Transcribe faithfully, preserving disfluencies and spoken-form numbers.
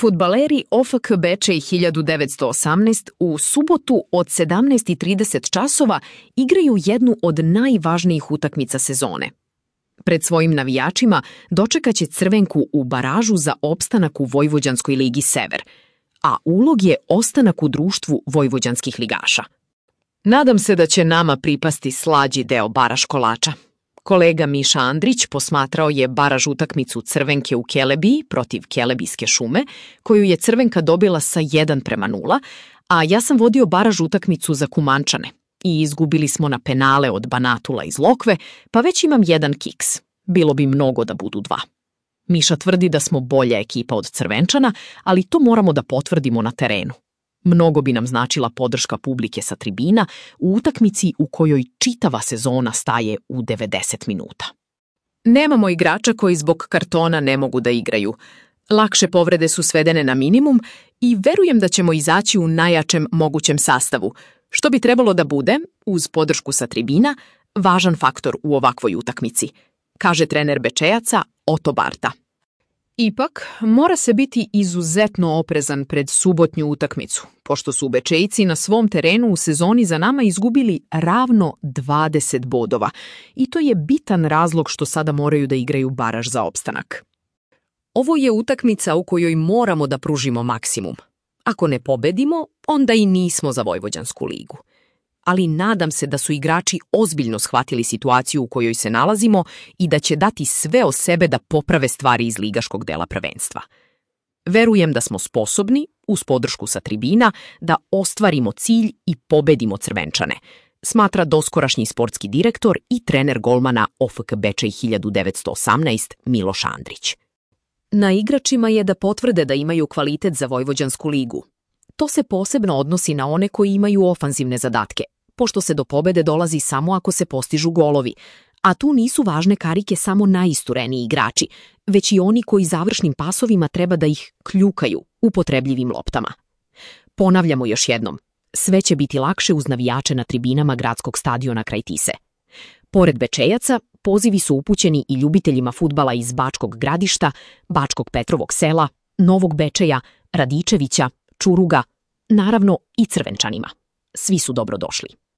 Fudbaleri O F K Bečej hiljadu devetsto osamnaest u subotu od sedamnaest i trideset časova igraju jednu od najvažnijih utakmica sezone. Pred svojim navijačima dočekaće Crvenku u baražu za opstanak u Vojvođanskoj ligi Sever, a ulog je ostanak u društvu vojvođanskih ligaša. Nadam se da će nama pripasti slađi deo baraž kolača. Kolega Miša Andrić posmatrao je baraž utakmicu Crvenke u Kelebiji protiv Kelebijske šume, koju je Crvenka dobila sa jedan prema nula, a ja sam vodio baraž utakmicu za Kumančane i izgubili smo na penale od Banatula iz Lokve, pa već imam jedan kiks. Bilo bi mnogo da budu dva. Miša tvrdi da smo bolja ekipa od Crvenčana, ali to moramo da potvrdimo na terenu. Mnogo bi nam značila podrška publike sa tribina u utakmici u kojoj čitava sezona staje u devedeset minuta. Nemamo igrača koji zbog kartona ne mogu da igraju. Lakše povrede su svedene na minimum i verujem da ćemo izaći u najjačem mogućem sastavu, što bi trebalo da bude, uz podršku sa tribina, važan faktor u ovakvoj utakmici, kaže trener Bečejaca Oto Barta. Ipak, mora se biti izuzetno oprezan pred subotnju utakmicu, pošto su Bečejci na svom terenu u sezoni za nama izgubili ravno dvadeset bodova i to je bitan razlog što sada moraju da igraju baraž za opstanak. Ovo je utakmica u kojoj moramo da pružimo maksimum. Ako ne pobedimo, onda i nismo za Vojvođansku ligu. Ali nadam se da su igrači ozbiljno shvatili situaciju u kojoj se nalazimo i da će dati sve o sebe da poprave stvari iz ligaškog dela prvenstva. Verujem da smo sposobni, uz podršku sa tribina, da ostvarimo cilj i pobedimo Crvenčane, smatra doskorašnji sportski direktor i trener golmana O F K Bečej hiljadu devetsto osamnaest Miloš Andrić. Na igračima je da potvrde da imaju kvalitet za Vojvođansku ligu. To se posebno odnosi na one koji imaju ofanzivne zadatke, pošto se do pobede dolazi samo ako se postižu golovi, a tu nisu važne karike samo najistureniji igrači, već i oni koji završnim pasovima treba da ih kljukaju upotrebljivim loptama. Ponavljamo još jednom, sve će biti lakše uz navijače na tribinama gradskog stadiona kraj Tise. Pored Bečejaca, pozivi su upućeni i ljubiteljima fudbala iz Bačkog Gradišta, Bačkog Petrovog sela, Novog Bečeja, Radičevića, Čuruga, naravno i Crvenčanima. Svi su dobrodošli.